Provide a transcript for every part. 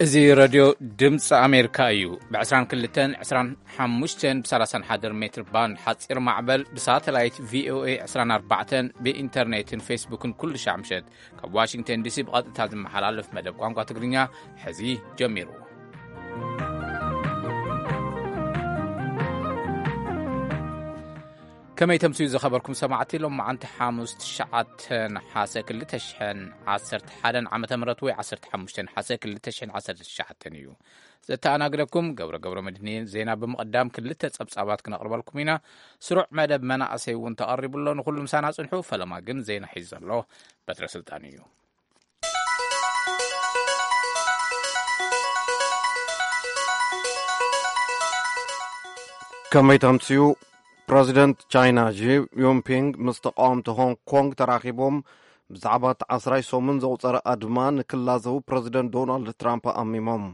እዚ ረድዮ ድምፂ ኣሜሪካ እዩ። ብ22፣ 25፣ ብ31 ሜትር ባንድ ሓፂር ማዕበል፣ ብሳተላይት ቪኦኤ 24፣ ብኢንተርኔትን ፌስቡክን ኩሉ ሻዕ ምሸት ካብ ዋሽንግተን ዲሲ ብቐጥታ ዝመሓላለፍ መደብ ቋንቋ ትግርኛ ሕዚ ጀሚሩ። ከመይ ተምስዩ ዝኸበርኩም ሰማዕቲ፣ ሎም መዓንቲ ሓሙስ ትሽዓተ ነሓሰ ክልተ ሽሕን ዓሰርተ ሓደን ዓመተ ምህረት ወይ ዓሰርተ ሓሙሽተ ነሓሰ ክልተ ሽሕን ዓሰርተ ትሽዓተን እዩ። ዘተኣናግደኩም ገብረ ገብረ መድህን። ዜና ብምቕዳም ክልተ ጸብጻባት ክነቕርበልኩም ኢና። ስሩዕ መደብ መናእሰይ እውን ተቐሪቡ ኣሎ። ንኹሉ ምሳና ጽንሑ። ፈለማ ግን ዜና ሒዙ ዘሎ በትረ ስልጣን እዩ። ከመይ ተምስዩ? ፕረዚደንት ቻይና ዢ ጂንፒንግ ምስ ተቃወምቲ ሆንግ ኮንግ ተራኺቦም ብዛዕባ እቲ ዓስራይ ሰሙን ዘቑጸረ ኣድማ ንክላዘቡ ፕረዚደንት ዶናልድ ትራምፕ ኣሚሞም።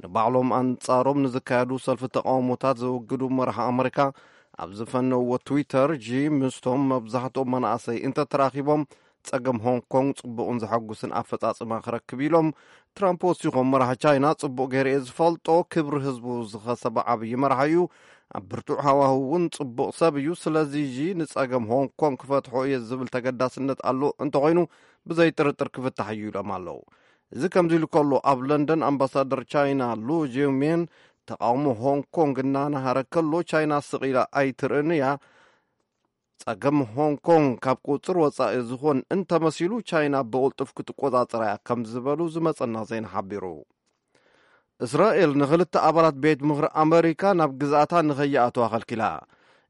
ንባዕሎም ኣንጻሮም ንዝካየዱ ሰልፊ ተቃውሞታት ዘወግዱ መራሒ ኣመሪካ ኣብ ዝፈነውዎ ትዊተር፣ ጂ ምስቶም መብዛሕትኦም መናእሰይ እንተተራኺቦም ጸገም ሆንግ ኮንግ ጽቡቕን ዘሐጉስን ኣፈጻጽማ ክረክብ ኢሎም። ትራምፕ ወሲኾም፣ መራሒ ቻይና ጽቡቕ ገይረ እየ ዝፈልጦ፣ ክብሪ ህዝቡ ዝኸሰበ ዓብዪ መራሒ እዩ። ኣብ ብርቱዕ ሃዋህው እውን ጽቡቕ ሰብ እዩ። ስለዚ ጂ ንጸገም ሆንግ ኮንግ ክፈትሖ እየ ዝብል ተገዳስነት ኣሎ፣ እንተኾይኑ ብዘይ ጥርጥር ክፍታሕ እዩ ኢሎም ኣለዉ። እዚ ከምዚ ኢሉ ከሎ፣ ኣብ ለንደን ኣምባሳደር ቻይና ሉ ጂውሜን ተቃውሞ ሆንግ ኮንግ እናናሃረ ከሎ፣ ቻይና ስቕ ኢላ ኣይትርእን እያ። ጸገም ሆንግ ኮንግ ካብ ቁጽር ወጻኢ ዝኾን እንተመሲሉ፣ ቻይና ብቕልጡፍ ክትቆጻጸራ እያ ከም ዝበሉ ዝመጸና ዜና ሓቢሩ። እስራኤል ንኽልተ ኣባላት ቤት ምኽሪ ኣመሪካ ናብ ግዝኣታ ንኸይኣትዋ ከልኪላ።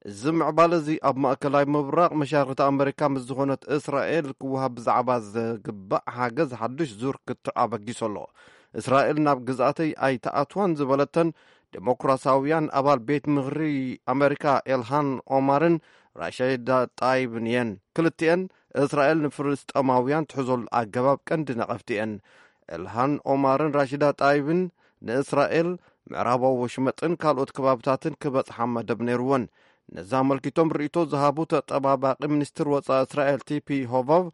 እዚ ምዕባለ እዚ ኣብ ማእከላይ ምብራቕ መሻርኽቲ ኣመሪካ ምስ ዝኾነት እስራኤል ክወሃብ ብዛዕባ ዝግባእ ሓገዝ ሓድሽ ዙር ክትዕ ኣበጊሱ ኣሎ። እስራኤል ናብ ግዝኣተይ ኣይትኣትዋን ዝበለተን ዴሞክራሲያውያን ኣባል ቤት ምኽሪ ኣመሪካ ኤልሃን ኦማርን ራሺዳ ጣይብን እየን። ክልቲኤን እስራኤል ንፍልስጤማውያን ትሕዘሉ ኣገባብ ቀንዲ ነቐፍቲ እየን። ኤልሃን ኦማርን ራሺዳ ጣይብን ንእስራኤል ምዕራባዊ ወሽመጥን ካልኦት ከባብታትን ክበጽሓ መደብ ነይርወን። ነዚ ኣመልኪቶም ርእይቶ ዝሃቡ ተጠባባቂ ሚኒስትር ወጻኢ እስራኤል ቲፒ ሆቫቭ፣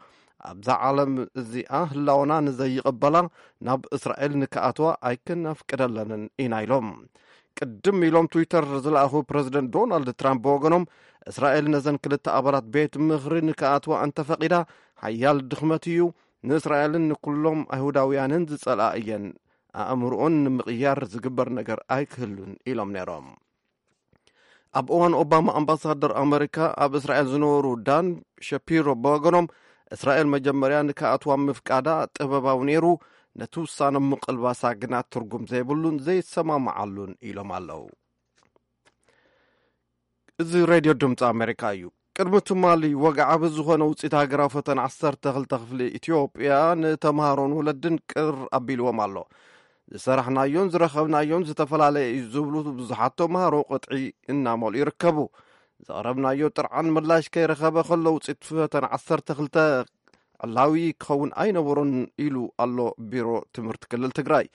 ኣብዛ ዓለም እዚኣ ህላወና ንዘይቕበላ ናብ እስራኤል ንክኣትዋ ኣይክነፍቅደለንን ኢና ኢሎም። ቅድም ኢሎም ትዊተር ዝለኣኹ ፕረዚደንት ዶናልድ ትራምፕ ብወገኖም፣ እስራኤል ነዘን ክልተ ኣባላት ቤት ምኽሪ ንክኣትዋ እንተፈቒዳ፣ ሓያል ድኽመት እዩ፣ ንእስራኤልን ንኩሎም ኣይሁዳውያንን ዝጸልኣ እየን፣ ኣእምርኦን ንምቕያር ዝግበር ነገር ኣይክህሉን ኢሎም ነይሮም። ኣብ እዋን ኦባማ ኣምባሳደር ኣመሪካ ኣብ እስራኤል ዝነበሩ ዳን ሸፒሮ ብወገኖም፣ እስራኤል መጀመርያ ንክኣትዋ ምፍቃዳ ጥበባዊ ነይሩ፣ ነቲ ውሳነ ምቕልባሳ ግና ትርጉም ዘይብሉን ዘይሰማማዓሉን ኢሎም ኣለዉ። እዚ ሬድዮ ድምፂ ኣሜሪካ እዩ። ቅድሚ ትማሊ ወግዓዊ ዝኾነ ውፅኢት ሃገራዊ ፈተና ዓሰርተ ክልተ ክፍሊ ኢትዮጵያ ንተምሃሮን ወለድን ቅር ኣቢልዎም ኣሎ። ዝሰራሕናዮን ዝረኸብናዮን ዝተፈላለየ እዩ ዝብሉ ብዙሓት ተምሃሮ ቅጥዒ እናመልኡ ይርከቡ። ዘቕረብናዮ ጥርዓን ምላሽ ከይረኸበ ከሎ ውፅኢት ፈተና ዓሰርተ ክልተ ዕላዊ ክኸውን ኣይነበሮን ኢሉ ኣሎ ቢሮ ትምህርቲ ክልል ትግራይ።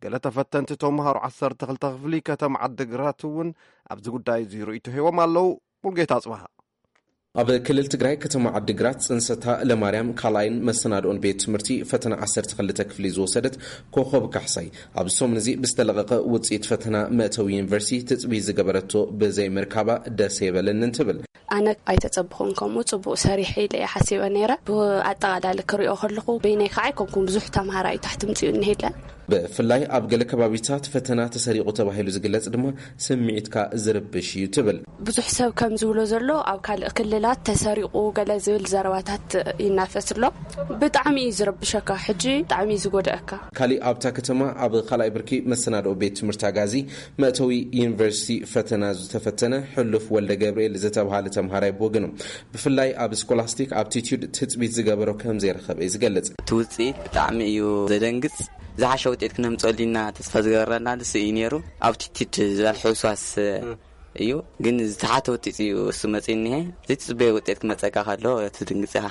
ገለ ተፈተንቲ ተምሃሮ ዓሰርተ ክልተ ክፍሊ ከተማ ዓዲግራት እውን ኣብዚ ጉዳይ እዚ ርእይቶ ሂቦም ኣለዉ። ሙልጌታ ኣጽብሃ። ኣብ ክልል ትግራይ ከተማ ዓዲግራት ጽንሰታ ለማርያም ካልኣይን መሰናድኦን ቤት ትምህርቲ ፈተና ዓሰርተ ክልተ ክፍሊ ዝወሰደት ኮኸብ ካሕሳይ፣ ኣብዚ ሰሙን እዚ ብዝተለቐቐ ውጽኢት ፈተና መእተዊ ዩኒቨርሲቲ ትጽቢት ዝገበረቶ ብዘይምርካባ ደስ ኣይበለንን ትብል። ኣነ ኣይተጸብኹን፣ ከምኡ ጽቡቕ ሰሪሐ ኢለ እየ ሓሲበ ነይረ። ብኣጠቓላሊ ክሪኦ ከለኹ፣ በይነይ ከዓ ኣይኮንኩን፣ ብዙሕ ተምሃራይ ታሕቲ ምጽኡ እኒሄለ። ብፍላይ ኣብ ገለ ከባቢታት ፈተና ተሰሪቑ ተባሂሉ ዝግለጽ ድማ ስምዒትካ ዝርብሽ እዩ ትብል። ብዙሕ ሰብ ከም ዝብሎ ዘሎ፣ ኣብ ካልእ ክልላት ተሰሪቑ ገለ ዝብል ዘረባታት ይናፈስ ኣሎ። ብጣዕሚ እዩ ዝረብሸካ፣ ሕጂ ብጣዕሚ እዩ ዝጎድኣካ። ካሊእ ኣብታ ከተማ ኣብ ካልኣይ ብርኪ መሰናድኦ ቤት ትምህርቲ ኣጋዚ መእተዊ ዩኒቨርሲቲ ፈተና ዝተፈተነ ሕሉፍ ወልደ ገብርኤል ዝተብሃለ ተምሃራይ ብወገኑ፣ ብፍላይ ኣብ ስኮላስቲክ ኣፕቲቱድ ትጽቢት ዝገበሮ ከም ዘይረኸበ እዩ ዝገልጽ። እቲ ውጽኢት ብጣዕሚ እዩ ዘደንግጽ። ዝሓሸ ውጤት ክነምፀሉ ኢና ተስፋ ዝገበረና ንሱ እዩ ነይሩ። ኣፕቲቱድ ዝበሃል ሕውስዋስ እዩ፣ ግን ዝተሓተ ውጤት እዩ እሱ መፂኡ እኒሀ። ዘይትፅበዮ ውጤት ክመፀካ ከሎ ትድንግፅ ኢኻ።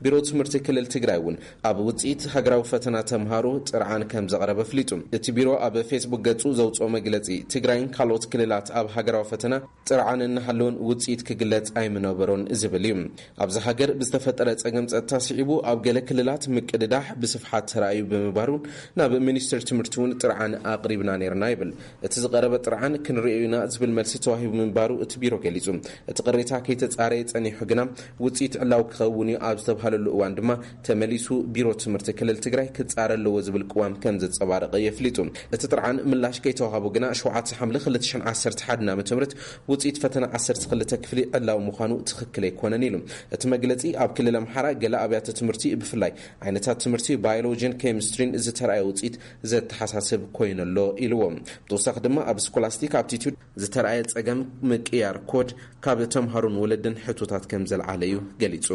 ቢሮ ትምህርቲ ክልል ትግራይ እውን ኣብ ውፅኢት ሃገራዊ ፈተና ተምሃሮ ጥርዓን ከም ዘቕረበ ኣፍሊጡ። እቲ ቢሮ ኣብ ፌስቡክ ገፁ ዘውፅኦ መግለፂ፣ ትግራይን ካልኦት ክልላት ኣብ ሃገራዊ ፈተና ጥርዓን እናሃለውን ውፅኢት ክግለፅ ኣይምነበሮን ዝብል እዩ። ኣብዚ ሃገር ብዝተፈጠረ ፀገም ፀጥታ ስዒቡ ኣብ ገለ ክልላት ምቅድዳሕ ብስፍሓት ተራእዩ ብምንባሩን ናብ ሚኒስትር ትምህርቲ እውን ጥርዓን ኣቕሪብና ነይርና ይብል። እቲ ዝቐረበ ጥርዓን ክንርእዮ ኢና ዝብል መልሲ ተዋሂቡ ምንባሩ እቲ ቢሮ ገሊጹ። እቲ ቅሬታ ከይተጻረየ ጸኒሑ ግና ውጽኢት ዕላዊ ክኸውን እዩ ኣብ ዝተባህለሉ እዋን ድማ ተመሊሱ ቢሮ ትምህርቲ ክልል ትግራይ ክጻረ ኣለዎ ዝብል ቅዋም ከም ዘንጸባረቐ የፍሊጡ። እቲ ጥርዓን ምላሽ ከይተዋሃቦ ግና ሸውዓተ ሓምለ ክልተ ሽሕን ዓሰርተ ሓደን ዓመተ ምህረት ውጽኢት ፈተና ዓሰርተ ክልተ ክፍሊ ዕላዊ ምዃኑ ትኽክል ኣይኮነን ኢሉ። እቲ መግለጺ ኣብ ክልል ኣምሓራ ገለ ኣብያተ ትምህርቲ ብፍላይ ዓይነታት ትምህርቲ ባዮሎጂን ኬሚስትሪን ዝተራእየ ውጽኢት ዘተሓሳስብ ኮይኑ ኣሎ ኢልዎ። ብተወሳኺ ድማ ኣብ ስኮላስቲክ ኣፕቲቱድ ዝተራእየ ጸገም ምቅያር ኮድ ካብ ተምሃሮን ወለድን ሕቶታት ከም ዘልዓለ እዩ ገሊጹ።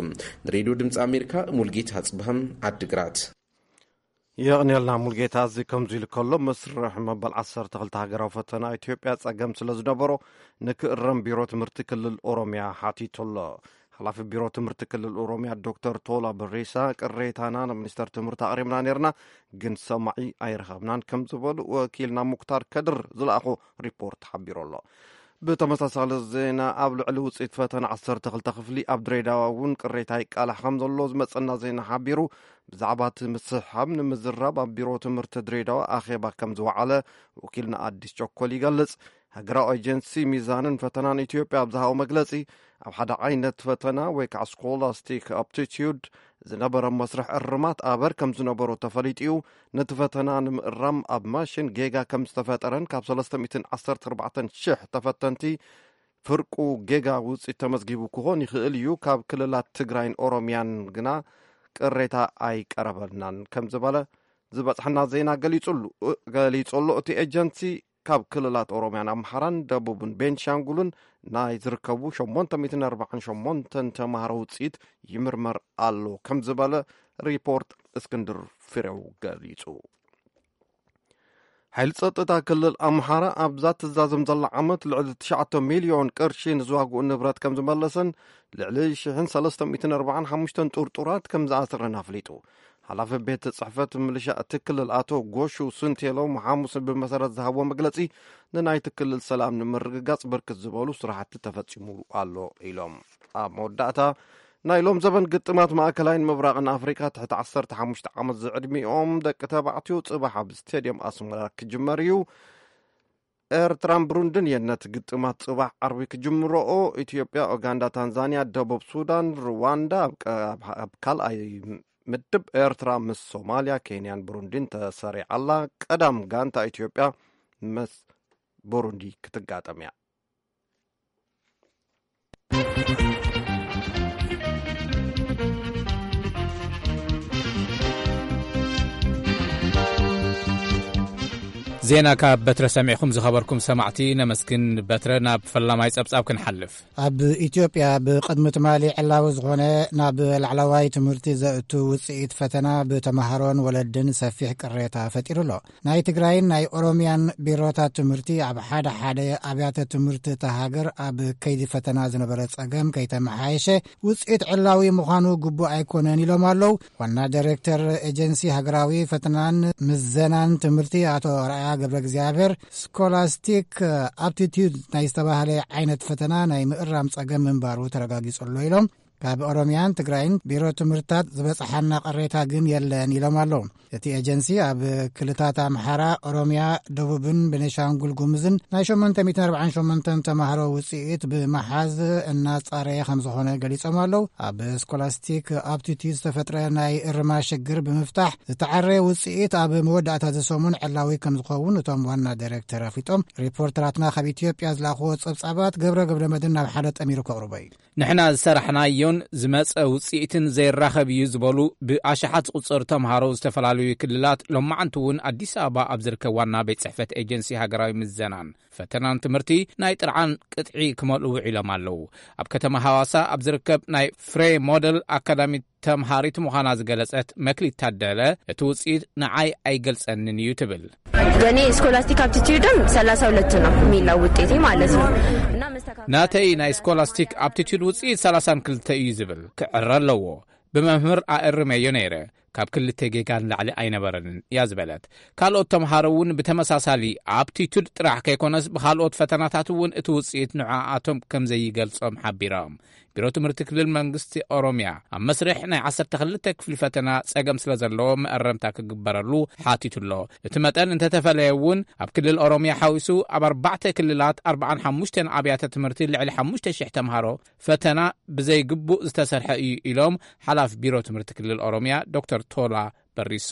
ንሬድዮ ድምፂ ኣሜሪካ ሙልጌታ ጽብሃም ዓድግራት። የቕንየልና ሙልጌታ። እዚ ከምዚ ኢሉ ከሎ፣ መስርሕ መበል ዓሰርተ ክልተ ሃገራዊ ፈተና ኢትዮጵያ ጸገም ስለ ዝነበሮ ንክእረም ቢሮ ትምህርቲ ክልል ኦሮሚያ ሓቲቱ ኣሎ። ሓላፊ ቢሮ ትምህርቲ ክልል ኦሮሚያ ዶክተር ቶላ በሬሳ፣ ቅሬታና ንሚኒስተር ትምህርቲ ኣቕሪብና ነይርና፣ ግን ሰማዒ ኣይረኸብናን ከም ዝበሉ ወኪልና ሙክታር ከድር ዝለኣኾ ሪፖርት ሓቢሩ ኣሎ። ብተመሳሳሊ ዜና፣ ኣብ ልዕሊ ውፅኢት ፈተና ዓሰርተ ክልተ ክፍሊ ኣብ ድሬዳዋ እውን ቅሬታ ይቃላሕ ከም ዘሎ ዝመፀና ዜና ሓቢሩ። ብዛዕባ እቲ ምስሕሓብ ንምዝራብ ኣብ ቢሮ ትምህርቲ ድሬዳዋ ኣኼባ ከም ዝወዓለ ወኪልና ኣዲስ ቸኮል ይገልፅ። ሃገራዊ ኤጀንሲ ሚዛንን ፈተናን ኢትዮጵያ ኣብ ዝሃቦ መግለፂ፣ ኣብ ሓደ ዓይነት ፈተና ወይ ከዓ ስኮላስቲክ ኣፕቲቲዩድ ዝነበረ መስርሕ እርማት ኣበር ከም ዝነበሮ ተፈሊጡ እዩ። ነቲ ፈተና ንምእራም ኣብ ማሽን ጌጋ ከም ዝተፈጠረን ካብ ሰለስተ ሚእትን ዓሰርተ ኣርባዕተን ሽሕ ተፈተንቲ ፍርቁ ጌጋ ውፅኢት ተመዝጊቡ ክኾን ይኽእል እዩ፣ ካብ ክልላት ትግራይን ኦሮሚያን ግና ቅሬታ ኣይቀረበልናን ከም ዝበለ ዝበፅሐና ዜና ገሊፁሉ፣ ገሊፁ ኣሎ። እቲ ኤጀንሲ ካብ ክልላት ኦሮሚያን ኣምሓራን ደቡብን ቤንሻንጉልን ናይ ዝርከቡ ሸሞንተ ሚእትን ኣርባዓን ሸሞንተን ተምሃሮ ውፅኢት ይምርመር ኣሎ ከም ዝበለ ሪፖርት እስክንድር ፍሬው ገሊፁ። ሓይሊ ጸጥታ ክልል ኣምሓራ ኣብዛ ትዛዘም ዘላ ዓመት ልዕሊ ትሽዓተ ሚልዮን ቅርሺ ንዝዋግኡ ንብረት ከም ዝመለሰን ልዕሊ ሽሕን ሰለስተ ሚእትን ኣርባዓን ሓሙሽተን ጥርጡራት ከም ዝኣሰረን ኣፍሊጡ። ሓላፊ ቤት ጽሕፈት ምልሻ እቲ ክልል ኣቶ ጎሹ ስንቴሎ ሓሙስ ብመሰረት ዝሃብዎ መግለጺ፣ ንናይቲ ክልል ሰላም ንምርግጋጽ ብርክት ዝበሉ ስራሕቲ ተፈጺሙ ኣሎ ኢሎም። ኣብ መወዳእታ፣ ናይ ሎም ዘበን ግጥማት ማእከላይን ምብራቕን ኣፍሪቃ ትሕቲ ዓሰርተ ሓሙሽተ ዓመት ዝዕድሚኦም ደቂ ተባዕትዮ ጽባሕ ኣብ ስቴድየም ኣስመራ ክጅመር እዩ። ኤርትራን ብሩንድን የነት ግጥማት ጽባሕ ዓርቢ ክጅምረኦ። ኢትዮጵያ፣ ኡጋንዳ፣ ታንዛንያ፣ ደቡብ ሱዳን፣ ሩዋንዳ ኣብ ቀ-፣ ኣብ፣ ኣብ ካልኣይ ምድብ ኤርትራ ምስ ሶማልያ፣ ኬንያን ብሩንዲን ተሰሪዓ ኣላ። ቀዳም ጋንታ ኢትዮጵያ ምስ ብሩንዲ ክትጋጠም እያ። ዜና ካብ በትረ ሰሚዕኹም ዝኸበርኩም ሰማዕቲ ነመስግን። በትረ፣ ናብ ፈላማይ ጸብጻብ ክንሓልፍ። ኣብ ኢትዮጵያ ብቕድሚ ትማሊ ዕላዊ ዝኾነ ናብ ላዕለዋይ ትምህርቲ ዘእቱ ውጽኢት ፈተና ብተምሃሮን ወለድን ሰፊሕ ቅሬታ ፈጢሩ ኣሎ። ናይ ትግራይን ናይ ኦሮሚያን ቢሮታት ትምህርቲ ኣብ ሓደ ሓደ ኣብያተ ትምህርቲ እታ ሃገር ኣብ ከይዲ ፈተና ዝነበረ ጸገም ከይተመሓየሸ ውጽኢት ዕላዊ ምዃኑ ግቡእ ኣይኮነን ኢሎም ኣለዉ። ዋና ዳይሬክተር ኤጀንሲ ሃገራዊ ፈተናን ምዘናን ትምህርቲ ኣቶ ኣርኣያ ገብረ እግዚኣብሔር፣ ስኮላስቲክ ኣፕቲቱድ ናይ ዝተባህለ ዓይነት ፈተና ናይ ምእራም ጸገም ምንባሩ ተረጋጊጹ ኣሎ ኢሎም። ካብ ኦሮሚያን ትግራይን ቢሮ ትምህርትታት ዝበጽሓና ቅሬታ ግን የለን ኢሎም ኣለዉ። እቲ ኤጀንሲ ኣብ ክልታት ኣምሓራ፣ ኦሮሚያ፣ ደቡብን ቤኒሻንጉል ጉሙዝን ናይ ሸሞንተ ሚእትን ኣርባዓን ሸሞንተን ተማሃሮ ውጽኢት ብምሓዝ እናጻረየ ከም ዝኾነ ገሊጾም ኣለዉ። ኣብ ስኮላስቲክ ኣፕቲቱድ ዝተፈጥረ ናይ እርማ ሽግር ብምፍታሕ ዝተዓረየ ውጽኢት ኣብ መወዳእታ እዚ ሰሙን ዕላዊ ከም ዝኸውን እቶም ዋና ዳይሬክተር ኣፍሊጦም። ሪፖርተራትና ካብ ኢትዮጵያ ዝለኣኽዎ ጸብጻባት ገብረ ገብረ መድህን ናብ ሓደ ጠሚሩ ከቕርቦ እዩ። ንሕና ዝሰራሕናዮን ዝመጸ ውጽኢትን ዘይራኸብ እዩ ዝበሉ ብኣሽሓት ዝቑጸሩ ተምሃሮ ዝተፈላለዩ ክልላት፣ ሎማዓንቲ እውን ኣዲስ ኣበባ ኣብ ዝርከብ ዋና ቤት ጽሕፈት ኤጀንሲ ሃገራዊ ምዘናን ፈተናን ትምህርቲ ናይ ጥርዓን ቅጥዒ ክመልኡ ውዒሎም ኣለዉ። ኣብ ከተማ ሃዋሳ ኣብ ዝርከብ ናይ ፍሬ ሞደል ኣካዳሚ ተምሃሪት ምዃና ዝገለጸት መክሊት ታደለ፣ እቲ ውጽኢት ንዓይ ኣይገልጸንን እዩ ትብል። የኔ ስኮላስቲክ አፕቲቲዩድም ሰላሳ ሁለት ነው የሚለው ውጤቴ ማለት ነው። እና መስተካከል ናተይ ናይ ስኮላስቲክ ኣፕቲቱድ ውጽኢት ሰላሳን ክልተ እዩ ዝብል፣ ክዕረ ኣለዎ። ብመምህር ኣእርመዮ ነይረ። ካብ ክልተ ጌጋ ንላዕሊ ኣይነበረንን እያ ዝበለት። ካልኦት ተምሃሮ እውን ብተመሳሳሊ ኣፕቲቱድ ጥራሕ ከይኮነስ ብኻልኦት ፈተናታት እውን እቲ ውፅኢት ንዕኣቶም ከም ዘይገልጾም ሓቢሮም። ቢሮ ትምህርቲ ክልል መንግስቲ ኦሮሚያ ኣብ መስርሕ ናይ ዓሰርተ ክልተ ክፍሊ ፈተና ጸገም ስለ ዘለዎ መእረምታ ክግበረሉ ሓቲቱ ኣሎ። እቲ መጠን እንተተፈለየ እውን ኣብ ክልል ኦሮሚያ ሓዊሱ ኣብ ኣርባዕተ ክልላት ኣርባዓን ሓሙሽተን ኣብያተ ትምህርቲ ልዕሊ ሓሙሽተ ሽሕ ተምሃሮ ፈተና ብዘይግቡእ ዝተሰርሐ እዩ ኢሎም ሓላፊ ቢሮ ትምህርቲ ክልል ኦሮሚያ ዶክተር ቶላ በሪሶ።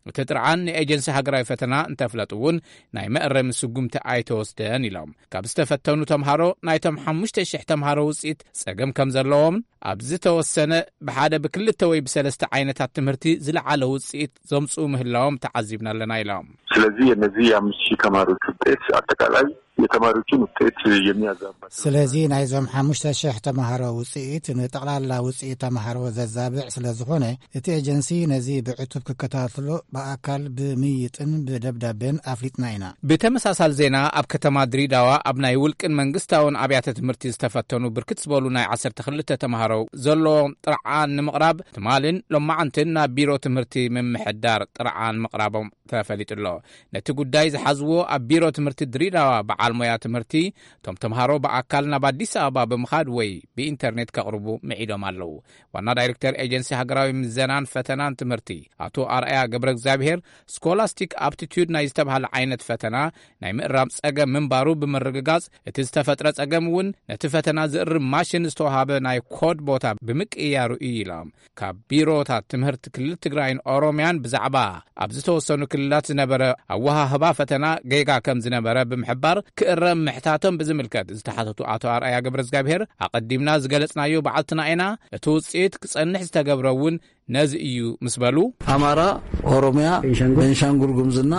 እቲ ጥርዓን ንኤጀንሲ ሃገራዊ ፈተና እንተፍለጡ እውን ናይ መእረሚ ስጉምቲ ኣይተወስደን ኢሎም። ካብ ዝተፈተኑ ተምሃሮ ናይቶም ሓሙሽተ ሽሕ ተምሃሮ ውፅኢት ጸገም ከም ዘለዎም ኣብ ዝተወሰነ ብሓደ ብክልተ ወይ ብሰለስተ ዓይነታት ትምህርቲ ዝለዓለ ውፅኢት ዘምፅኡ ምህላዎም ተዓዚብና ኣለና ኢሎም። ስለዚህ የነዚህ የአምስት ሺህ ተማሪዎች ውጤት አጠቃላይ የተማሪዎችን ውጤት የሚያዛባ ስለዚ ናይዞም ሓሙሽተ ሽሕ ተምሃሮ ውፅኢት ንጠቕላላ ውፅኢት ተምሃሮ ዘዛብዕ ስለ ዝኾነ እቲ ኤጀንሲ ነዚ ብዕቱብ ክከታተሎ ብኣካል ብምይጥን ብደብዳቤን ኣፍሊጥና ኢና። ብተመሳሳሊ ዜና ኣብ ከተማ ድሪዳዋ ኣብ ናይ ውልቅን መንግስታውን ኣብያተ ትምህርቲ ዝተፈተኑ ብርክት ዝበሉ ናይ ዓሰርተ ክልተ ተምሃሮ ዘለዎም ጥርዓን ንምቕራብ ትማልን ሎማዓንትን ናብ ቢሮ ትምህርቲ ምምሕዳር ጥርዓን ምቕራቦም ተፈሊጡ ኣሎ። ነቲ ጉዳይ ዝሓዝዎ ኣብ ቢሮ ትምህርቲ ድሪዳዋ በዓል ሞያ ትምህርቲ እቶም ተምሃሮ ብኣካል ናብ ኣዲስ ኣበባ ብምኻድ ወይ ብኢንተርኔት ከቕርቡ ምዒዶም ኣለዉ። ዋና ዳይሬክተር ኤጀንሲ ሃገራዊ ምዘናን ፈተናን ትምህርቲ ኣቶ ኣርኣያ ገብረ እግዚኣብሔር ስኮላስቲክ ኣፕቲቱድ ናይ ዝተባህለ ዓይነት ፈተና ናይ ምእራም ጸገም ምንባሩ ብምርግጋጽ እቲ ዝተፈጥረ ጸገም እውን ነቲ ፈተና ዝእርም ማሽን ዝተዋሃበ ናይ ኮድ ቦታ ብምቅያሩ እዩ ኢሎም። ካብ ቢሮታት ትምህርቲ ክልል ትግራይን ኦሮሚያን ብዛዕባ ኣብ ዝተወሰኑ ክልላት ዝነበረ ኣወሃህባ ፈተና ጌጋ ከም ዝነበረ ብምሕባር ክእረም ምሕታቶም ብዝምልከት ዝተሓተቱ ኣቶ ኣርኣያ ገብረ እግዚኣብሔር ኣቐዲምና ዝገለጽናዮ በዓልትና ኢና። እቲ ውፅኢት ክጸንሕ ዝተገብረ እውን ነዚ እዩ ምስ በሉ ኣማራ፣ ኦሮሚያ፣ ቤንሻንጉል ጉምዝና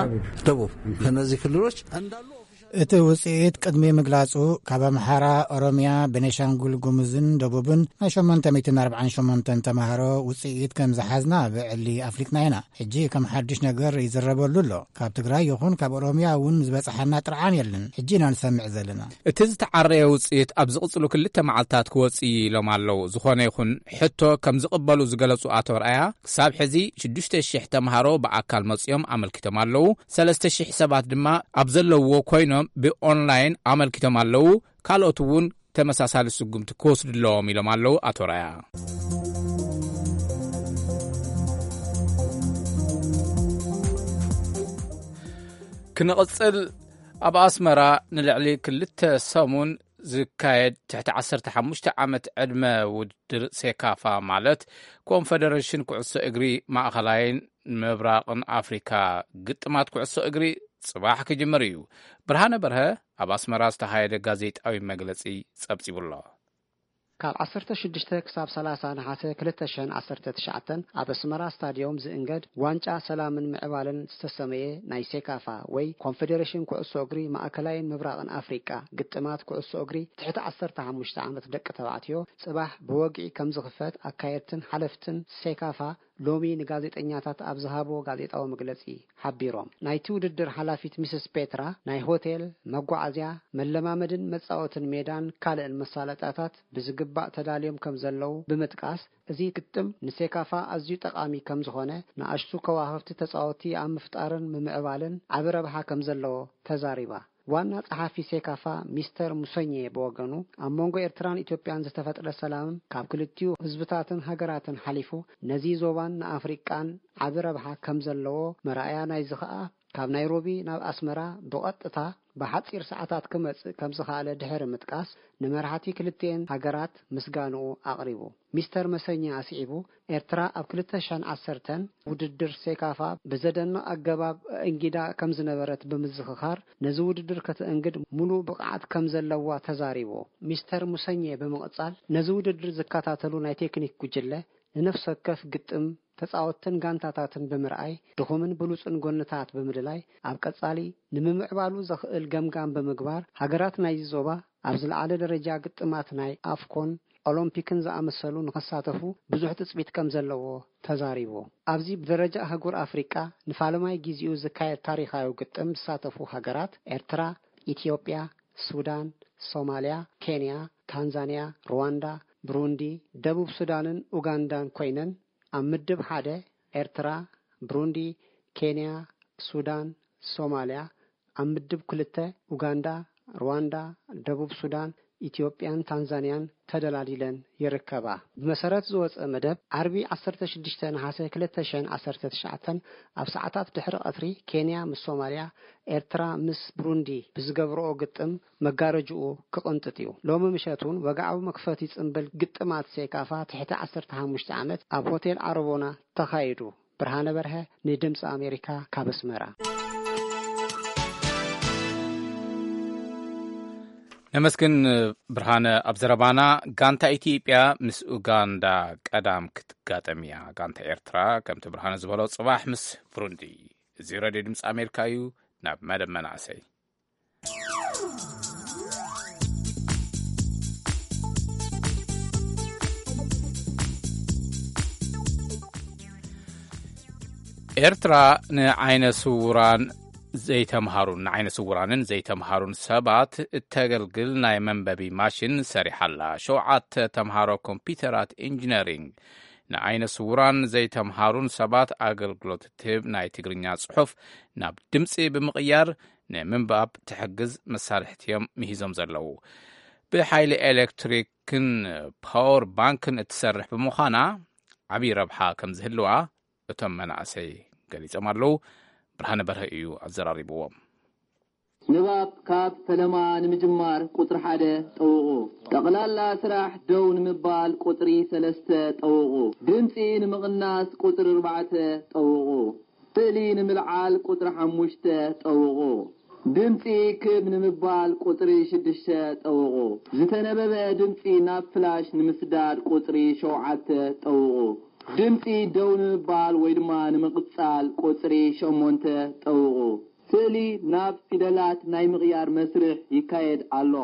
ደቡብ ከነዚህ ክልሎች እንዳሉ እቲ ውፅኢት ቅድሚ ምግላጹ ካብ ኣምሓራ፣ ኦሮሚያ፣ ቤኒሻንጉል ጉሙዝን ደቡብን ናይ ሸሞንተ ሚእትን ኣርባዓን ሸሞንተን ተምሃሮ ውፅኢት ከም ዝሓዝና ብዕሊ ኣፍሊጥና ኢና። ሕጂ ከም ሓድሽ ነገር ይዝረበሉ ኣሎ። ካብ ትግራይ ይኹን ካብ ኦሮሚያ እውን ዝበፅሓና ጥርዓን የለን። ሕጂ ኢና ንሰምዕ ዘለና። እቲ ዝተዓረየ ውፅኢት ኣብ ዝቕፅሉ ክልተ መዓልታት ክወፅእ እዩ ኢሎም ኣለዉ። ዝኾነ ይኹን ሕቶ ከም ዝቕበሉ ዝገለፁ ኣቶ ርኣያ ክሳብ ሕዚ ሽዱሽተ ሽሕ ተምሃሮ ብኣካል መፅኦም ኣመልኪቶም ኣለዉ። ሰለስተ ሽሕ ሰባት ድማ ኣብ ዘለውዎ ኮይኖም ብኦንላይን ኣመልኪቶም ኣለዉ። ካልኦት እውን ተመሳሳሊ ስጉምቲ ክወስዱ ኣለዎም ኢሎም ኣለዉ ኣቶ ርኣያ። ክንቕጽል፣ ኣብ ኣስመራ ንልዕሊ ክልተ ሰሙን ዝካየድ ትሕቲ ዓሰርተ ሓሙሽተ ዓመት ዕድመ ውድድር ሴካፋ ማለት ኮንፈደሬሽን ኩዕሶ እግሪ ማእኸላይን ምብራቕን ኣፍሪካ ግጥማት ኩዕሶ እግሪ ጽባሕ ክጅምር እዩ። ብርሃነ በርሀ ኣብ ኣስመራ ዝተኻየደ ጋዜጣዊ መግለጺ ጸብጺቡ ኣሎ። ካብ ዓሰርተ ሽዱሽተ ክሳብ ሰላሳ ነሓሰ ክልተ ሽሕን ዓሰርተ ትሽዓተን ኣብ ኣስመራ ስታድዮም ዝእንገድ ዋንጫ ሰላምን ምዕባለን ዝተሰመየ ናይ ሴካፋ ወይ ኮንፌዴሬሽን ኩዕሶ እግሪ ማእከላይን ምብራቕን ኣፍሪቃ ግጥማት ኩዕሶ እግሪ ትሕቲ ዓሰርተ ሓሙሽተ ዓመት ደቂ ተባዕትዮ ጽባሕ ብወግዒ ከም ዝኽፈት ኣካየድትን ሓለፍትን ሴካፋ ሎሚ ንጋዜጠኛታት ኣብ ዝሃብዎ ጋዜጣዊ መግለጺ ሓቢሮም። ናይቲ ውድድር ሓላፊት ሚስስ ፔትራ ናይ ሆቴል፣ መጓዓዝያ፣ መለማመድን መጻወትን ሜዳን ካልእን መሳለጥያታት ብዝግባእ ተዳልዮም ከም ዘለዉ ብምጥቃስ፣ እዚ ግጥም ንሴካፋ ኣዝዩ ጠቓሚ ከም ዝኾነ፣ ንኣሽቱ ከዋኽብቲ ተጻወትቲ ኣብ ምፍጣርን ምምዕባልን ዓቢ ረብሓ ከም ዘለዎ ተዛሪባ። ዋና ጸሓፊ ሴካፋ ሚስተር ሙሰኘ ብወገኑ፣ ኣብ መንጎ ኤርትራን ኢትዮጵያን ዝተፈጥረ ሰላም ካብ ክልቲኡ ህዝብታትን ሃገራትን ሓሊፉ ነዚ ዞባን ንኣፍሪቃን ዓቢ ረብሓ ከም ዘለዎ መርኣያ ናይዚ ኸኣ ካብ ናይሮቢ ናብ ኣስመራ ብቐጥታ ብሓጺር ሰዓታት ክመጽእ ከም ዝኸኣለ ድሕሪ ምጥቃስ፣ ንመራሕቲ ክልቲኤን ሃገራት ምስጋንኡ ኣቕሪቡ። ሚስተር መሰኛ ኣስዒቡ፣ ኤርትራ ኣብ ክልተ ሽሕን ዓሰርተን ውድድር ሴካፋ ብዘደንቕ ኣገባብ ኣእንጊዳ ከም ዝነበረት ብምዝኽኻር፣ ነዚ ውድድር ከተእንግድ ሙሉእ ብቕዓት ከም ዘለዋ ተዛሪቡ። ሚስተር ሙሰኘ ብምቕጻል፣ ነዚ ውድድር ዝከታተሉ ናይ ቴክኒክ ጉጅለ ንነፍሲ ወከፍ ግጥም፣ ተጻወትትን ጋንታታትን ብምርኣይ፣ ድኹምን ብሉጽን ጎንታት ብምልላይ፣ ኣብ ቀጻሊ ንምምዕባሉ ዘኽእል ገምጋም ብምግባር፣ ሃገራት ናይዚ ዞባ ኣብ ዝለዓለ ደረጃ ግጥማት ናይ ኣፍኮን፣ ኦሎምፒክን ዝኣመሰሉ ንኽሳተፉ ብዙሕ ትጽቢት ከም ዘለዎ ተዛሪቡ። ኣብዚ ብደረጃ ኣህጉር ኣፍሪቃ ንፋለማይ ጊዜኡ ዝካየድ ታሪኻዊ ግጥም ዝሳተፉ ሃገራት ኤርትራ፣ ኢትዮጵያ፣ ሱዳን፣ ሶማልያ፣ ኬንያ፣ ታንዛንያ፣ ሩዋንዳ፣ ብሩንዲ፣ ደቡብ ሱዳንን ኡጋንዳን ኮይነን፣ ኣብ ምድብ ሓደ ኤርትራ፣ ብሩንዲ፣ ኬንያ፣ ሱዳን፣ ሶማልያ፣ ኣብ ምድብ ክልተ ኡጋንዳ፣ ሩዋንዳ፣ ደቡብ ሱዳን፣ ኢትዮጵያን ታንዛንያን ተደላዲለን ይርከባ። ብመሰረት ዝወጸ መደብ፣ ዓርቢ ዓሰርተ ሽዱሽተ ነሓሰ ክልተ ሽሕን ዓሰርተ ትሽዓተን ኣብ ሰዓታት ድሕሪ ቀትሪ ኬንያ ምስ ሶማልያ፣ ኤርትራ ምስ ብሩንዲ ብዝገብርኦ ግጥም መጋረጅኡ ክቕንጥጥ እዩ። ሎሚ ምሸት እውን ወግዓዊ መክፈቲ ጽምብል ግጥማት ሴካፋ ትሕቲ ዓሰርተ ሓሙሽተ ዓመት ኣብ ሆቴል ዓረቦና ተኻይዱ። ብርሃነ በርሀ ንድምፂ ኣሜሪካ ካብ ኣስመራ። ነመስግን ብርሃነ። ኣብ ዘረባና፣ ጋንታ ኢትዮጵያ ምስ ኡጋንዳ ቀዳም ክትጋጠም እያ። ጋንታ ኤርትራ፣ ከምቲ ብርሃነ ዝበሎ፣ ጽባሕ ምስ ብሩንዲ። እዚ ሬድዮ ድምፂ ኣሜሪካ እዩ። ናብ መደብ መናእሰይ። ኤርትራ ንዓይነ ስውራን ዘይተምሃሩን ንዓይነ ስውራንን ዘይተምሃሩን ሰባት እተገልግል ናይ መንበቢ ማሽን ሰሪሓ ኣላ። ሸውዓተ ተምሃሮ ኮምፒውተራት ኢንጂነሪንግ ንዓይነ ስውራን ዘይተምሃሩን ሰባት ኣገልግሎት እትህብ ናይ ትግርኛ ጽሑፍ ናብ ድምጺ ብምቕያር ንምንባብ ትሕግዝ መሳርሕቲ እዮም ምሂዞም ዘለዉ። ብሓይሊ ኤሌክትሪክን ፓወር ባንክን እትሰርሕ ብምዃና ዓብዪ ረብሓ ከም ዝህልዋ እቶም መናእሰይ ገሊጾም ኣለዉ። ብርሃነ በርሀ እዩ ኣዘራሪብዎም። ንባብ ካብ ፈለማ ንምጅማር ቁጽሪ ሓደ ጠውቑ። ጠቕላላ ስራሕ ደው ንምባል ቁጽሪ ሰለስተ ጠውቑ። ድምጺ ንምቕናስ ቁጽሪ ኣርባዕተ ጠውቑ። ስእሊ ንምልዓል ቁጽሪ ሓሙሽተ ጠውቑ። ድምጺ ክብ ንምባል ቁጽሪ ሽዱሽተ ጠውቑ። ዝተነበበ ድምጺ ናብ ፍላሽ ንምስዳድ ቁጽሪ ሸውዓተ ጠውቑ። ድምጺ ደው ንምባል ወይ ድማ ንምቕጻል ቁጽሪ ሸሞንተ ጠውቑ። ስእሊ ናብ ፊደላት ናይ ምቕያር መስርሕ ይካየድ ኣሎ።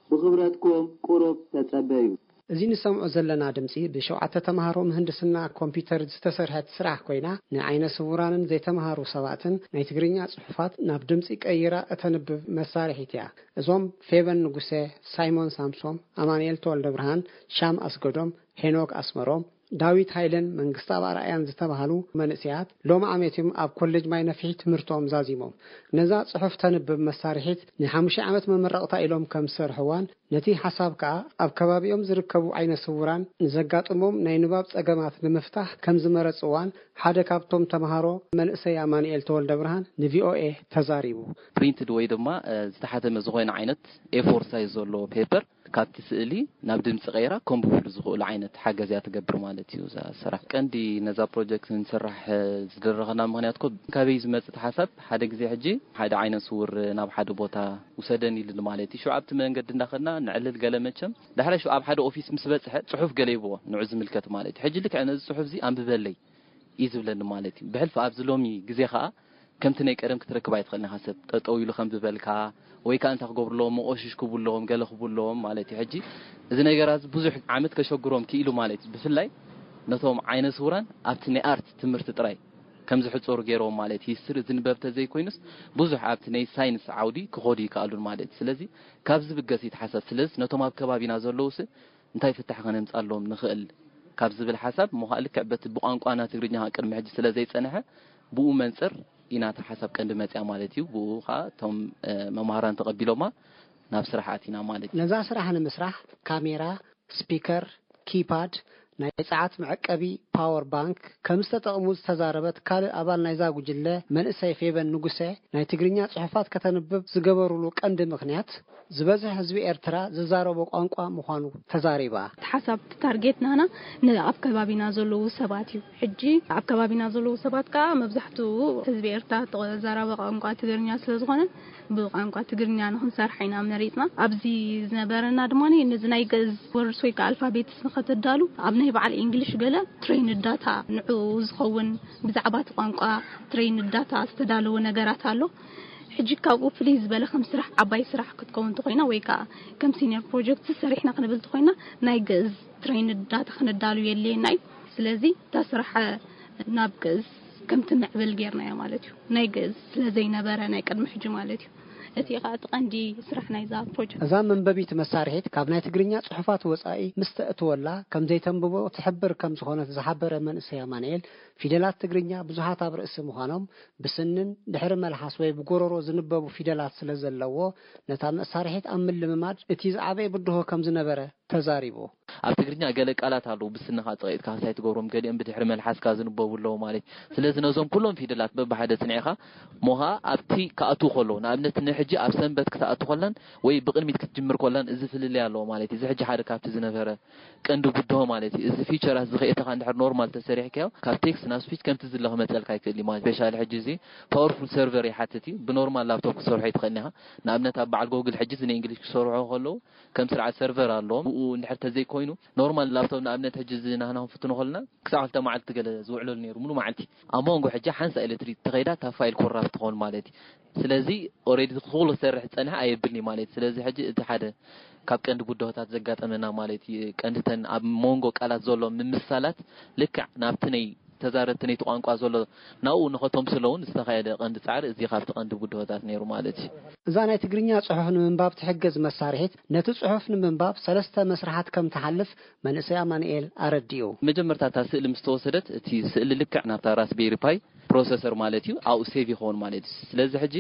ብኽብረትኩም ቁሩብ ተጸበዩ። እዚ ንሰምዖ ዘለና ድምጺ ብሸውዓተ ተማሃሮ ምህንድስና ኮምፒውተር ዝተሰርሐት ስራሕ ኮይና፣ ንዓይነ ስውራንን ዘይተማሃሩ ሰባትን ናይ ትግርኛ ጽሑፋት ናብ ድምጺ ቀይራ እተንብብ መሳርሒት እያ። እዞም ፌቨን ንጉሰ፣ ሳይሞን ሳምሶም፣ ኣማኑኤል ተወልደብርሃን፣ ሻም ኣስገዶም፣ ሄኖክ ኣስመሮም፣ ዳዊት ሃይለን መንግስተኣብ ኣርኣያን ዝተባህሉ መንእሰያት ሎሚ ዓመት እዮም ኣብ ኮሌጅ ማይ ነፍሒ ትምህርቶም ዛዚሞም። ነዛ ጽሑፍ ተንብብ መሳርሒት ንሓሙሽተ ዓመት መመረቕታ ኢሎም ከም ዝሰርሕዋን ነቲ ሓሳብ ከኣ ኣብ ከባቢኦም ዝርከቡ ዓይነ ስውራን ንዘጋጥሞም ናይ ንባብ ጸገማት ንምፍታሕ ከም ዝመረጽዋን ሓደ ካብቶም ተምሃሮ መንእሰይ ኣማኑኤል ተወልደ ብርሃን ንቪኦኤ ተዛሪቡ። ፕሪንትድ ወይ ድማ ዝተሓተመ ዝኾነ ዓይነት ኤፎር ሳይዝ ዘለዎ ፔፐር ካብቲ ስእሊ ናብ ድምፂ ቀይራ ከንብብሉ ዝኽእሉ ዓይነት ሓገዝ እያ ትገብር ማለት እዩ። እዛ ስራሕ ቀንዲ ነዛ ፕሮጀክት ንስራሕ ዝደረኸና ምኽንያት ኮ ካበይ ዝመፅእ ሓሳብ ሓደ ግዜ ሕጂ ሓደ ዓይነ ስውር ናብ ሓደ ቦታ ውሰደን ኢሉ ማለት እዩ። ሽዑ ኣብቲ መንገዲ እንዳኸድና ንዕልል ገለ መቸም ዳሕራይ ሽዑ ኣብ ሓደ ኦፊስ ምስ በፅሐ ፅሑፍ ገለ ይብዎ ንዑ ዝምልከት ማለት እዩ። ሕጂ ልክዕ ነዚ ፅሑፍ እዚ ኣንብበለይ እዩ ዝብለኒ ማለት እዩ። ብሕልፊ ኣብዚ ሎሚ ግዜ ከዓ ከምቲ ናይ ቀደም ክትረክብ ኣይትኽእልን ኢኻ። ሰብ ጠጠው ኢሉ ከም ዝበልካ ወይ ከዓ እንታይ ክገብሩ ኣለዎም፣ መቆሽሽ ክቡ ኣለዎም፣ ገለ ክቡ ኣለዎም ማለት እዩ። ሕጂ እዚ ነገራት እዚ ብዙሕ ዓመት ከሸግሮም ክኢሉ ማለት እዩ። ብፍላይ ነቶም ዓይነ ስውራን ኣብቲ ናይ ኣርት ትምህርቲ ጥራይ ከም ዝሕፀሩ ገይሮም ማለት እዩ። ሂስትሪ ዝንበብ ተዘይኮይኑስ ብዙሕ ኣብቲ ናይ ሳይንስ ዓውዲ ክኸዱ ይከኣሉን ማለት እዩ። ስለዚ ካብ ዝብገስ ይተሓሳብ። ስለዚ ነቶም ኣብ ከባቢና ዘለውስ እንታይ ፍታሕ ከነምፃሎም ንኽእል ካብ ዝብል ሓሳብ እሞ ከዓ ልክዕ በቲ ብቋንቋና ትግርኛ ከዓ ቅድሚ ሕጂ ስለ ዘይፀንሐ ብኡ መንፅር ኢና እታ ሓሳብ ቀንዲ መፅያ ማለት እዩ። ብኡ ከዓ እቶም መምሃራን ተቐቢሎማ ናብ ስራሕ ኣቲና ማለት እዩ። ነዛ ስራሕ ንምስራሕ ካሜራ፣ ስፒከር፣ ኪፓድ፣ ናይ ፀዓት መዐቀቢ ፓወር ባንክ ከም ዝተጠቕሙ ዝተዛረበት ካልእ ኣባል ናይዛ ጉጅለ መንእሰይ ፌቨን ንጉሰ ናይ ትግርኛ ፅሑፋት ከተንብብ ዝገበሩሉ ቀንዲ ምኽንያት ዝበዝሕ ህዝቢ ኤርትራ ዝዛረቦ ቋንቋ ምዃኑ ተዛሪባ። እቲ ሓሳብ እቲ ታርጌት ናህና ንኣብ ከባቢና ዘለዉ ሰባት እዩ። ሕጂ ኣብ ከባቢና ዘለዉ ሰባት ከዓ መብዛሕትኡ ህዝቢ ኤርትራ ተዛራቢ ቋንቋ ትግርኛ ስለ ዝኾነ ብቋንቋ ትግርኛ ንኽንሰርሕ ኢና መሪፅና። ኣብዚ ዝነበረና ድማ ነዚ ናይ ግእዝ ወርድስ ወይ ከዓ ኣልፋቤትስ ንኸተዳሉ ኣብ ናይ በዓል ኢንግሊሽ ገለ ትሬይን ዳታ ንዕኡ ዝኸውን ብዛዕባ እቲ ቋንቋ ትሬይን ዳታ ዝተዳለወ ነገራት ኣሎ። ሕጂ ካብኡ ፍልይ ዝበለ ከም ስራሕ ዓባይ ስራሕ ክትከውን እንተኮይና ወይ ከዓ ከም ሲኒየር ፕሮጀክት ሰሪሕና ክንብል እንተኮይና ናይ ግእዝ ትሬይን ዳታ ክነዳሉ የድልየና እዩ። ስለዚ እታ ስራሕ ናብ ግእዝ ከም ትምዕብል ጌርናዮ ማለት እዩ። ናይ ግእዝ ስለ ዘይነበረ ናይ ቅድሚ ሕጂ ማለት እዩ። እቲ ኸዓ እቲ ቀንዲ ስራሕ ናይዛ ፕሮጀክት። እዛ መንበቢት መሳርሒት ካብ ናይ ትግርኛ ጽሑፋት ወጻኢ ምስ ተእትወላ ከም ዘይተንብቦ ትሕብር ከም ዝኾነት ዝሓበረ መንእሰይ ኣማንኤል፣ ፊደላት ትግርኛ ብዙሓት ኣብ ርእሲ ምዃኖም፣ ብስንን ድሕሪ መልሓስ ወይ ብጎረሮ ዝንበቡ ፊደላት ስለ ዘለዎ፣ ነታ መሳርሒት ኣብ ምልምማድ እቲ ዝዓበየ ብድሆ ከም ዝነበረ ተዛሪቡ። ኣብ ትግርኛ ገለ ቃላት ኣለዉ ብስንኻ ጸቒጥካ ክሳይ ትገብሮም፣ ገሊኦም ብድሕሪ መልሓስካ ዝንበቡ ኣለዉ ማለት እዩ። ስለዚ ነዞም ኩሎም ፊደላት በብሓደ ጽኒዕኻ ሞኻ ኣብቲ ክኣትዉ ከለዉ፣ ንኣብነት ንሕጂ ኣብ ሰንበት ክትኣቱ ከላን ወይ ብቕድሚት ክትጅምር ከላን እዚ ፍልልይ ኣለዎ ማለት እዩ። እዚ ሕጂ ሓደ ካብቲ ዝነበረ ቀንዲ ብድሆ ማለት እዩ። እዚ ፊቸራት እዚ ከየእተኻ እንድሕር ኖርማል ተሰሪሕካዮ፣ ካብ ቴክስት ናብ ስፒች ከምቲ ዝለ ክመጸልካ ይክእል እዩ ማለት። ስፔሻሊ ሕጂ እዚ ፓወርፉል ሰርቨር ይሓትት እዩ። ብኖርማል ላፕቶፕ ክሰርሖ ይትኽእል ኢኻ። ንኣብነት ኣብ በዓል ጎግል ሕጂ እዚ ንእንግሊሽ ክሰርሑ ከለዉ ከም ስርዓት ሰርቨር ኣለዎም። ብኡ እንድሕር ተዘይኮይኑ ኖርማል ላፕቶፕ ንኣብነት ሕጂ እዚ ናህና ክንፍትኖ ከለና ክሳዕ ክልተ መዓልቲ ገለ ዝውዕለሉ ነይሩ፣ ሙሉ መዓልቲ። ኣብ መንጎ ሕጂ ሓንሳ ኢለ ትሪት ተኸይዳ እታ ፋይል ኮራፕት ትኸውን ማለት እዩ። ስለዚ ኦሬዲ ኩሉ ክሰርሕ ዝጸንሐ ኣየብልኒ ማለት እዩ። ስለዚ ሕጂ እቲ ሓደ ካብ ቀንዲ ብድሆታት ዘጋጠመና ማለት እዩ። ቀንድተን ኣብ መንጎ ቃላት ዘሎ ምምሳላት ልክዕ ናብቲ ናይ ተዛረብቲ ነይቲ ቋንቋ ዘሎ ናብኡ ንኸተምስሎ እውን ዝተኻየደ ቀንዲ ጻዕሪ እዚ ካብቲ ቀንዲ ብድሆታት ነይሩ ማለት እዩ። እዛ ናይ ትግርኛ ጽሑፍ ንምንባብ ትሕግዝ መሳርሒት ነቲ ጽሑፍ ንምንባብ ሰለስተ መስርሓት ከም ትሓልፍ መንእሰይ ኣማኑኤል ኣረዲኡ። መጀመርታ እታ ስእሊ ምስ ተወሰደት እቲ ስእሊ ልክዕ ናብታ ራስቤሪ ፓይ ፕሮሰሰር ማለት እዩ ኣብኡ ሴቭ ይኸውን ማለት እዩ። ስለዚ ሕጂ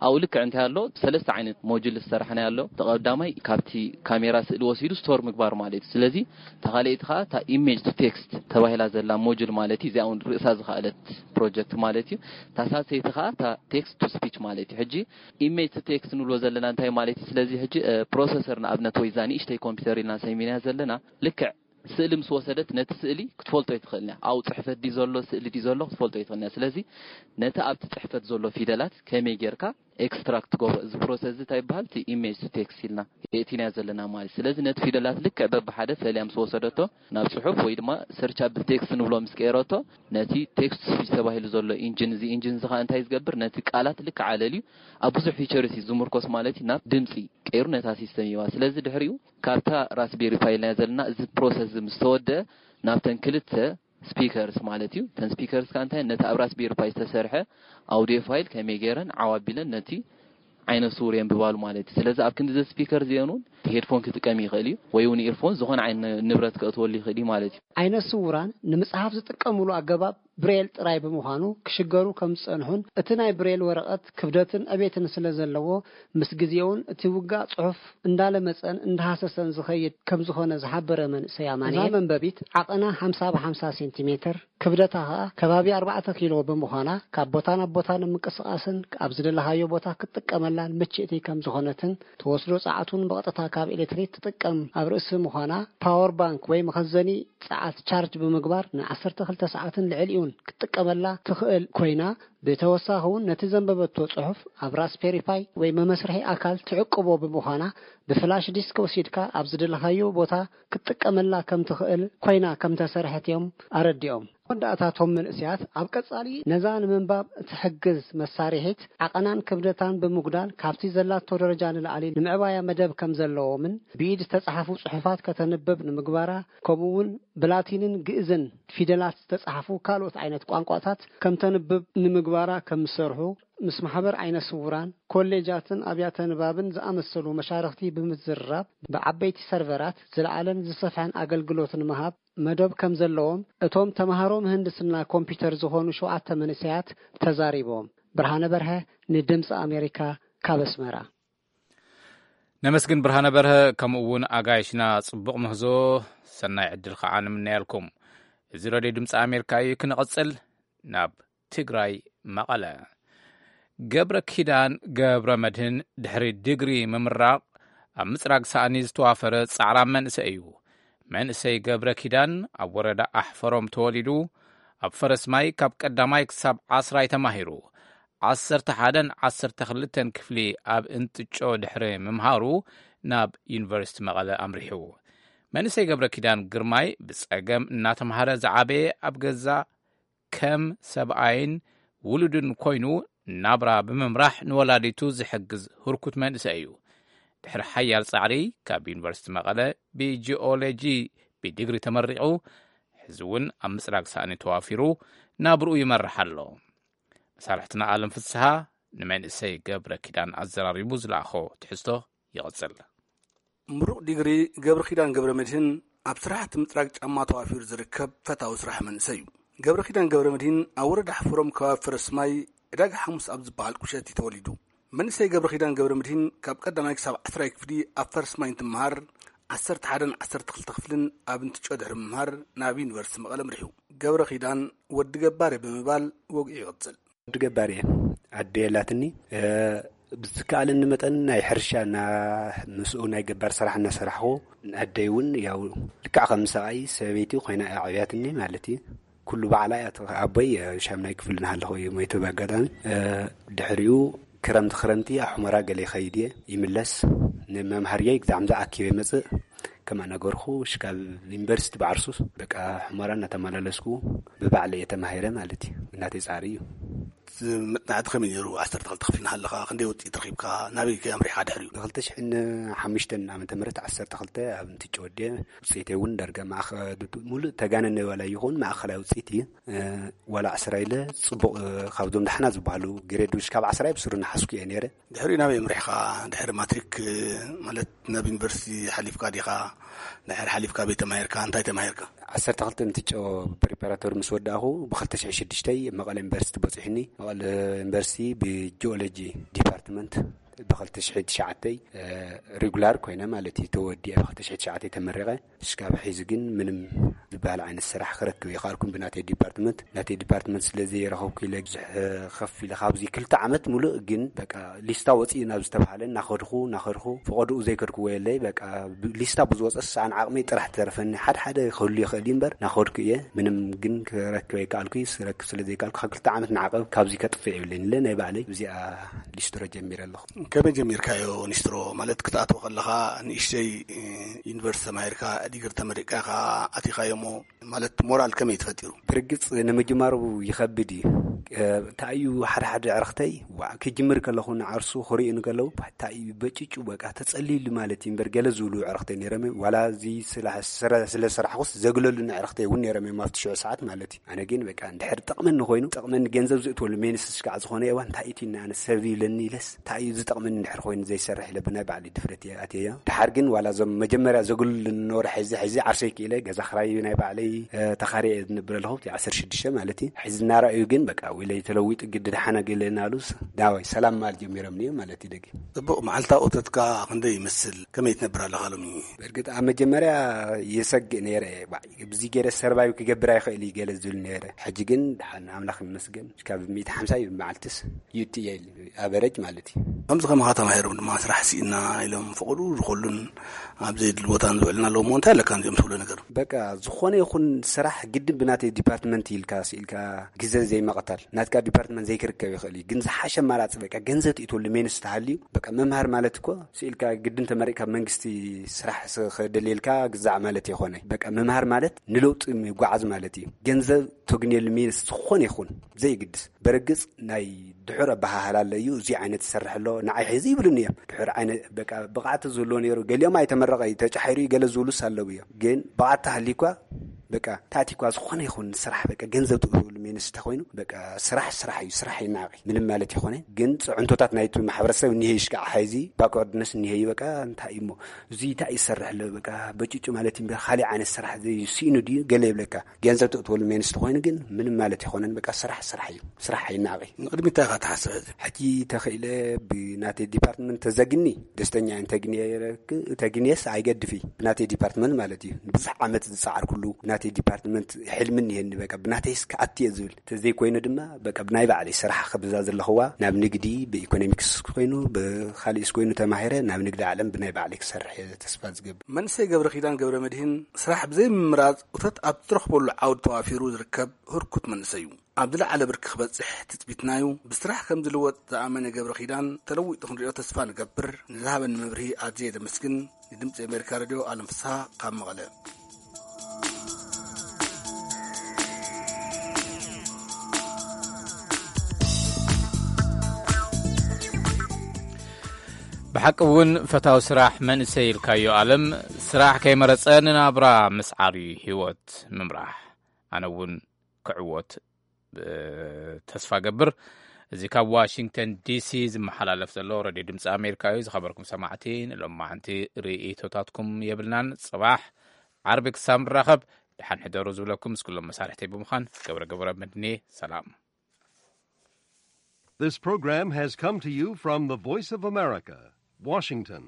ኣብኡ ልክዕ እንታይ ኣሎ ሰለስተ ዓይነት ሞጁል ዝሰራሕናዮ ኣሎ። እቲ ቀዳማይ ካብቲ ካሜራ ስእሊ ወሲዱ ስቶር ምግባር ማለት እዩ። ስለዚ እታ ካልኣይቲ ከዓ እታ ኢሜጅ ቱ ቴክስት ተባሂላ ዘላ ሞጁል ማለት እዩ። እዚኣ እውን ርእሳ ዝኸኣለት ፕሮጀክት ማለት እዩ። እታ ሳልሰይቲ ከዓ እታ ቴክስት ቱ ስፒች ማለት እዩ። ሕጂ ኢሜጅ ቱ ቴክስት ንብሎ ዘለና እንታይ ማለት እዩ? ስለዚ ሕጂ ፕሮሰሰር ንኣብነት ወይ እዛ ንእሽተይ ኮምፒውተር ኢልና ሰሚና ዘለና ልክዕ ስእሊ ምስ ወሰደት ነቲ ስእሊ ክትፈልጦ ኣይትኽእልን እያ። ኣብኡ ፅሕፈት ድዩ ዘሎ ስእሊ ድዩ ዘሎ ክትፈልጦ ኣይትኽእልን እያ። ስለዚ ነቲ ኣብቲ ፅሕፈት ዘሎ ፊደላት ከመይ ጌርካ ኤክስትራክት ትገብሮ እዚ ፕሮሰስ እዚ እንታይ ይበሃል? እቲ ኢሜጅ ቱ ቴክስት ኢልና የእቲናዮ ዘለና ማለት እዩ። ስለዚ ነቲ ፊደላት ልክዕ በብሓደ ፈልያ ምስ ወሰደቶ ናብ ፅሑፍ ወይ ድማ ሰርች ኣብል ቴክስት ንብሎ ምስ ቀየረቶ ነቲ ቴክስት ቱ ስፒች ተባሂሉ ዘሎ ኢንጂን እዚ ኢንጂን እዚ ከዓ እንታይ ዝገብር ነቲ ቃላት ልክዕ ኣለልዩ ኣብ ብዙሕ ፊቸርስ እዩ ዝምርኮስ ማለት እዩ። ናብ ድምፂ ቀይሩ ነታ ሲስተም ይህባ። ስለዚ ድሕሪኡ ካብታ ራስቤሪ ፓይ ኢልና ዘለና እዚ ፕሮሰስ እዚ ምስ ተወደአ ናብተን ክልተ ስፒከርስ ማለት እዩ። እተን ስፒከርስ ከዓ እንታይ ነቲ ኣብ ራስቤሪ ፓይ ዝተሰርሐ ኣውዲዮ ፋይል ከመይ ገይረን ዓው ኣቢለን ነቲ ዓይነ ስውር የንብባሉ ማለት እዩ። ስለዚ ኣብ ክንዲ እዚ ስፒከር እዚአን እውን ሄድፎን ክጥቀም ይኽእል እዩ ወይ እውን ኢርፎን ዝኾነ ዓይነት ንብረት ከእትወሉ ይኽእል እዩ ማለት እዩ። ዓይነ ስውራን ንምፅሓፍ ዝጥቀምሉ ኣገባብ ብሬል ጥራይ ብምዃኑ ክሽገሩ ከም ዝፀንሑን እቲ ናይ ብሬል ወረቐት ክብደትን ዕቤትን ስለ ዘለዎ ምስ ግዜውን እቲ ውጋእ ፅሑፍ እንዳለመፀን እንዳሃሰሰን ዝኸይድ ከም ዝኾነ ዝሓበረ መንእሰይ ኣማኑኤል እዛ መንበቢት ዓቐና ሓምሳ ብሓምሳ ሴንቲሜትር ክብደታ ኸኣ ከባቢ ኣርባዕተ ኪሎ ብምዃና ካብ ቦታ ናብ ቦታ ንምንቅስቓስን ኣብ ዝደለኻዮ ቦታ ክትጥቀመላን ምችእቲ ከም ዝኾነትን ትወስዶ ጸዓት እውን ብቐጥታ ካብ ኤሌክትሪክ ትጥቀም ኣብ ርእሲ ምዃና ፓወር ባንክ ወይ መኸዘኒ ጸዓት ቻርጅ ብምግባር ን ዓሰርተ ክልተ ሰዓትን ልዕሊኡን ክትጥቀመላ ትኽእል ኮይና ብተወሳኺ እውን ነቲ ዘንበበቶ ጽሑፍ ኣብ ራስፔሪ ፓይ ወይ መመስርሒ ኣካል ትዕቅቦ ብምዃና ብፍላሽ ዲስክ ወሲድካ ኣብ ዝደለኻዮ ቦታ ክትጥቀመላ ከም ትኽእል ኮይና ከም ተሰርሐት እዮም ኣረዲኦም። መወዳእታ እቶም መንእሰያት ኣብ ቀጻሊ ነዛ ንምንባብ እትሕግዝ መሳርሒት ዓቐናን ክብደታን ብምጉዳል ካብቲ ዘላቶ ደረጃ ንላዕሊ ንምዕባያ መደብ ከም ዘለዎምን ብኢድ ዝተጻሕፉ ጽሑፋት ከተንብብ ንምግባራ ከምኡ እውን ብላቲንን ግእዝን ፊደላት ዝተጻሕፉ ካልኦት ዓይነት ቋንቋታት ከም ተንብብ ንምግባራ ከም ዝሰርሑ ምስ ማሕበር ዓይነ ስውራን ኮሌጃትን ኣብያተ ንባብን ዝኣመሰሉ መሻርኽቲ ብምዝርራብ ብዓበይቲ ሰርቨራት ዝለዓለን ዝሰፍሐን ኣገልግሎት ንምሃብ መደብ ከም ዘለዎም እቶም ተምሃሮ ምህንድስና ኮምፒውተር ዝኾኑ ሸውዓተ መንእሰያት ተዛሪቦም። ብርሃነ በርሀ ንድምፂ ኣሜሪካ ካብ ኣስመራ። ነመስግን ብርሃነ በርሀ ከምኡ እውን ኣጋይሽና ጽቡቕ ምህዞ ሰናይ ዕድል ከዓ ንምነያልኩም። እዚ ረድዮ ድምፂ ኣሜሪካ እዩ። ክንቐጽል ናብ ትግራይ መቐለ። ገብረ ኪዳን ገብረ መድህን ድሕሪ ዲግሪ ምምራቕ ኣብ ምፅራግ ሳእኒ ዝተዋፈረ ፃዕራም መንእሰይ እዩ። መንእሰይ ገብረ ኪዳን ኣብ ወረዳ ኣሕፈሮም ተወሊዱ ኣብ ፈረስ ማይ ካብ ቀዳማይ ክሳብ ዓስራይ ተማሂሩ ዓሰርተ ሓደን ዓሰርተ ክልተን ክፍሊ ኣብ እንትጮ ድሕሪ ምምሃሩ ናብ ዩኒቨርሲቲ መቐለ ኣምሪሑ። መንእሰይ ገብረ ኪዳን ግርማይ ብፀገም እናተምሃረ ዝዓበየ ኣብ ገዛ ከም ሰብኣይን ውሉድን ኮይኑ ናብራ ብምምራሕ ንወላዲቱ ዝሕግዝ ህርኩት መንእሰይ እዩ። ድሕሪ ሓያል ጻዕሪ ካብ ዩኒቨርሲቲ መቐለ ብጂኦሎጂ ብዲግሪ ተመሪቑ ሕዚ እውን ኣብ ምፅራግ ሳእኒ ተዋፊሩ ናብርኡ ይመርሕ ኣሎ። መሳርሕትና ኣለም ፍስሃ ንመንእሰይ ገብረ ኪዳን ኣዘራሪቡ ዝለኣኾ ትሕዝቶ ይቕጽል። ምሩቕ ዲግሪ ገብረ ኪዳን ገብረ መድህን ኣብ ስራሕቲ ምጽራግ ጫማ ተዋፊሩ ዝርከብ ፈታዊ ስራሕ መንእሰይ እዩ። ገብረ ኪዳን ገብረ መድህን ኣብ ወረዳ ሕፍሮም ከባቢ ፈረስማይ ዕዳጋ ሓሙስ ኣብ ዝበሃል ቁሸት እዩ ተወሊዱ። መንእሰይ ገብረ ኪዳን ገብረ መድህን ካብ ቀዳማይ ክሳብ ዓስራይ ክፍሊ ኣብ ፈረስማይ እንትመሃር፣ ዓሰርተ ሓደን ዓሰርተ ክልተ ክፍልን ኣብ እንትጮ ድሕሪ ምምሃር ናብ ዩኒቨርሲቲ መቐለ ምርሑ። ገብረ ኪዳን ወዲ ገባሬ ብምባል ወግዒ ይቕጽል። ወዲ ገባሬ እየ። ኣደ የላትኒ። እ፣ ብዝከኣለኒ መጠን ናይ ሕርሻ እና ምስኡ ናይ ገባር ስራሕ እናሰራሕኹ፣ ኣደይ እውን ያው ልክዕ ከም ሰብኣይ ሰበይቲ ኮይና እያ ዓብያትኒ ማለት እዩ። ኩሉ ባዕላ እያ። ኣቦይ ሻምናይ ክፍል እናሃለኹ እዩ ሞይቱ ብኣጋጣሚ። እ፣ ድሕሪኡ ክረምቲ ክረምቲ ኣብ ሑመራ ገለ ይኸይድ እየ፣ ይምለስ። ንመምሃርየይ ብዛዕባ ኣኪበ መጽእ፣ ከማ ነገርኹ፣ ሽካብ ዩኒቨርሲቲ ባዕርሱ በቃ ሑመራ እናተመላለስኩ ብባዕለ እየ ተማሂረ ማለት እዩ። እናተይ ጻሪ እዩ። መጽናዕቲ ከመይ ነይሩ? ዓሰርተ ክልተ ክፍሊ እናሃለኻ ክንደይ ውጽኢት ረኺብካ? ናበይ ከ ኣምሪሕካ ድሕሪኡ? ብ ክልተ ሽሕን ሓሙሽተን ዓመተ ምህረት ዓሰርተ ክልተ ኣብ እንትጭ ወድየ። ውጽኢተይ እውን ዳርጋ ማእኸ-፣ ሙሉእ ተጋነነ ዋላ ይኹን ማእኸላይ ውጽኢት እዩ። እ፣ ዋላ ዓስራ ኢለ ጽቡቕ፣ እ፣ ካብዞም ዳሕና ዝበሃሉ ግሬድ ውሽ ካብ ዓስራ ብስሩ እናሓዝኩ እየ ነይረ። ድሕሪኡ ናበይ ኣምሪሕካ? ድሕሪ ማትሪክ፣ እ፣ ማለት ናብ ዩኒቨርሲቲ ሓሊፍካ ዲኻ? ድሕሪ ሓሊፍካ ቤት ተማሂርካ? እንታይ ተማሂርካ? ዓሰርተ ክልተ እንትጨ ፕሪፓራቶሪ ምስ ወዳእኹ፣ ብ ክልተ ሽሕን ሽዱሽተን መቐለ ዩኒቨርሲቲ በፂሑኒ። መቐለ ዩኒቨርሲቲ ብጂኦሎጂ ዲፓርትመንት ብ ክልተ ሽሕን ትሽዓተን፣ እ፣ ሪጉላር ኮይነ ማለት እዩ፣ ተወዲአ ብ ክልተ ሽሕን ትሽዓተን ተመሪቐ። እስካብ ሕዚ ግን ምንም ዝበሃል ዓይነት ስራሕ ክረክብ ይኸኣልኩን ብናተይ ዲፓርትመንት። ናተይ ዲፓርትመንት ስለ ዘይረኸብኩ ኢለ ብዙሕ ከፍ ኢለ ካብዚ ክልተ ዓመት ሙሉእ ግን በቃ ሊስታ ወፂኡ ናብ ዝተባሃለ እናኸድኹ፣ እናኸድኹ፣ ፈቐድኡ ዘይከድክዎ የለይ። በቃ ብ-፣ ሊስታ ብዝወፀስ ኣነ ዓቕመይ ጥራሕ ተረፈኒ። ሓደ ሓደ ክህሉ ይኽእል እዩ እምበር እናኸድኩ እየ። ምንም ግን ክረክብ ኣይከኣልኩ። ክረክብ ስለ ዘይከኣልኩ ካብ ክልተ ዓመት ንዓቐብ ካብዚ ከጥፍእ የብለይን ኢለ ናይ ባዕለይ እዚኣ ሊስትሮ ጀሚረ ኣለኹ። ከመይ ጀሚርካዮ ኒስትሮ? ማለት ክትኣትዎ ከለኻ ንእሽተይ፣ እ፣ ዩኒቨርሲቲ ተማሂርካ ዲግሪ ተመሪቅካ ኢኻ ኣቲኻዮ እሞ፣ ማለት ሞራል ከመይ ተፈጢሩ? ብርግጽ ንምጅማሩ ይኸብድ እዩ። እ፣ እንታይ እዩ ሓደ ሓደ ዕርኽተይ፣ ዋዕ፣ ክጅምር ከለኹ ንዓርሱ ክርእዩ ንከለዉ፣ እንታይ እዩ በጭጩ በቃ ተጸልዩሉ ማለት እዩ እምበር ገለ ዝብሉ ዕርኽተይ ነይሮም እዮም። ዋላ እዚ ስለ-፣ ስረ-፣ ስለ ሰራሕኩስ ዘግለሉኒ ዕርኽተይ እውን ነይሮም እዮም ኣብቲ ሽዑ ሰዓት ማለት እዩ። ኣነ ግን በቃ እንድሕር ጠቕመኒ ኮይኑ፣ ጠቕመኒ ገንዘብ ዝእትወሉ ሜንስ ስጋዕ ዝኾነ እዋን እንታይ እዩ ትይኒ ኣነ ሰብ ይብለኒ ኢለስ እንታይ እዩ ዝጠቕመኒ እንድሕር ኮይኑ ዘይሰርሕ ኢለ ብናይ ባዕለይ ድፍረት እየ ኣትየዮ። ድሓር ግን ዋላ እዞም መጀመርያ ዘግልሉ ዝነበሩ ሕዚ፣ ሕዚ ዓርሰይ ክኢለ ገዛ ክራይ ናይ ባዕለይ፣ እ፣ ተኻርየ እየ ዝነብር ኣለኹ፣ እቲ ዓሰርተ ሽዱሽተ ማለት እዩ። ሕዚ እናረኣዩ ግን በቃ ውለይ ተለዊጡ ግዲ ደሓነ ገለ እናሉስ ዳዋይ ሰላም ማል ጀሚሮም እዮም ማለት እዩ ደጊም። ጽቡቕ፣ መዓልታዊ እቶትካ ክንደይ ይመስል? ከመይ ትነብር ኣለኻ ሎሚ? በርግጥ ኣብ መጀመርያ የሰግእ ነይረ እየ። ባዕ፣ ብዚ ገይረ ሰርቫይቭ ክገብር ኣይኽእል እዩ ገለ ዝብል ነይረ። ሕጂ ግን ደሓን ኣምላኽ ይመስገን። ካብ ሚእቲ ሓምሳ እዩ መዓልትስ ዩቲ እየ ኢሉ ኣቨረጅ ማለት እዩ። ከምዚ ከማኻ ተማሂሮም ድማ ስራሕ ስኢና ኢሎም ፈቐዱ ዝኾሉን ኣብ ዘይድሊ ቦታ ንዝውዕልና ኣለዉ እሞ እንታይ ኣለካ ነዚኦም ትብሎ ነገር? በቃ ዝኾነ ይኹን ስራሕ ግድን ብናተይ ዲፓርትመንት ኢልካ ስኢልካ ግዘ ዘይመቐታል ናትካ ዲፓርትመንት ዘይክርከብ ይኽእል እዩ። ግን ዝሓሸ ኣማራፂ በቃ ገንዘብ ትእትወሉ ሜንስ ተሃልዩ በቃ መምሃር ማለት እኮ ስኢልካ ግድን ተመሪቅካ መንግስቲ ስራሕ ስ-፣ ክደልየልካ ግዛዕ ማለት ይኾነ። በቃ ምምሃር ማለት ንለውጢ ምጓዓዝ ማለት እዩ። ገንዘብ ተግንየሉ ሜንስ ዝኾነ ይኹን ዘይግድስ። በርግጽ ናይ ድሑር ኣበሃህላ ኣሎ እዩ። እዚ ዓይነት ዝሰርሕ ኣሎ፣ ንዓይ ሕዚ ይብሉኒ እዮም። ድሑር ዓይነት በቃ ብቕዓት ዝህልዎ ነይሩ። ገሊኦም ኣይተመረቐ እዩ፣ ተጫሒሩ እዩ፣ ገለ ዝብሉስ ኣለዉ እዮም። ግን ብቕዓት ተሃልዩኳ በቃ ታእቲኳ ዝኾነ ይኹን ስራሕ በቃ ገንዘብ ትእትወሉ ሜንስ እንተኾይኑ በቃ ስራሕ ስራሕ እዩ፣ ስራሕ ይናቂ ምንም ማለት ይኾነ። ግን ጽዕንቶታት ናይቲ ማሕበረሰብ እኒሀ ይሽካዕ ሓይዚ ባክወርድነስ እኒሀ እዩ። በቃ እንታይ እዩ እሞ እዚ እንታይ ይሰርሕ ኣሎ በቃ በጭጩ ማለት እዩ እምበር ካሊእ ዓይነት ስራሕ ዘይስኢኑ ድዩ ገለ ይብለካ። ገንዘብ ትእትወሉ ሜንስ እንተኾይኑ ግን ምንም ማለት ይኾነን። በቃ ስራሕ ስራሕ እዩ፣ ስራሕ ይናቂ። ንቕድሚት እንታይ ኢኻ ትሓስብ ሕዚ? ሕጂ ተኽኢለ ብናተይ ዲፓርትመንት ተዘግኒ ደስተኛ እየ። እንተግንየ-፣ ተግንየስ ኣይገድፍ እዩ ብናተይ ዲፓርትመንት ማለት እዩ። ብዙሕ ዓመት ዝጸዓርኩሉ ብናተይ ዲፓርትመንት ሕልሚ እኒሀኒ። በቃ ብናተይስ ክኣቱ እየ ዝብል። ተዘይኮይኑ ድማ በቃ ብናይ ባዕለይ ስራሕ ከብዛ ዘለኽዋ ናብ ንግዲ ብኢኮኖሚክስ ኮይኑ ብኻሊእስ ኮይኑ ተማሂረ ናብ ንግዲ ዓለም ብናይ ባዕለይ ክሰርሕ እየ ተስፋ ዝገብር። መንእሰይ ገብረ ኪዳን ገብረ መድህን ስራሕ ብዘይምምራጽ እቶት ኣብ ትረኽበሉ ዓውዲ ተዋፊሩ ዝርከብ ህርኩት መንእሰይ እዩ። ኣብ ዝለዓለ ብርኪ ክበጽሕ ትጽቢትናዩ። ብስራሕ ከም ዝልወጥ ዝኣመነ ገብረ ኪዳን ተለዊጡ ክንሪኦ ተስፋ ንገብር። ንዝሃበኒ መብርሂ ኣዝየ ዘመስግን። ንድምጺ ኣሜሪካ ሬድዮ ኣለም ፍስሃ ካብ መቐለ። ብሓቂ እውን ፈታዊ ስራሕ መንእሰይ ኢልካዮ ኣለም፣ ስራሕ ከይመረጸ ንናብራ ምስዓር እዩ ህይወት ምምራሕ። ኣነ እውን ክዕወት፣ እ፣ ተስፋ ገብር። እዚ ካብ ዋሽንግተን ዲሲ ዝመሓላለፍ ዘሎ ሬድዮ ድምፂ ኣሜሪካ እዩ። ዝኸበርኩም ሰማዕቲ፣ ንሎማዓንቲ ርእይቶታትኩም የብልናን። ፅባሕ ዓርቢ ክሳብ ንራኸብ፣ ደሓን ሕደሩ ዝብለኩም ምስ ኩሎም መሳርሕተይ ብምዃን፣ ገብረ ገብረ መድኔ፣ ሰላም። This program has come to you from the Voice of America, Washington.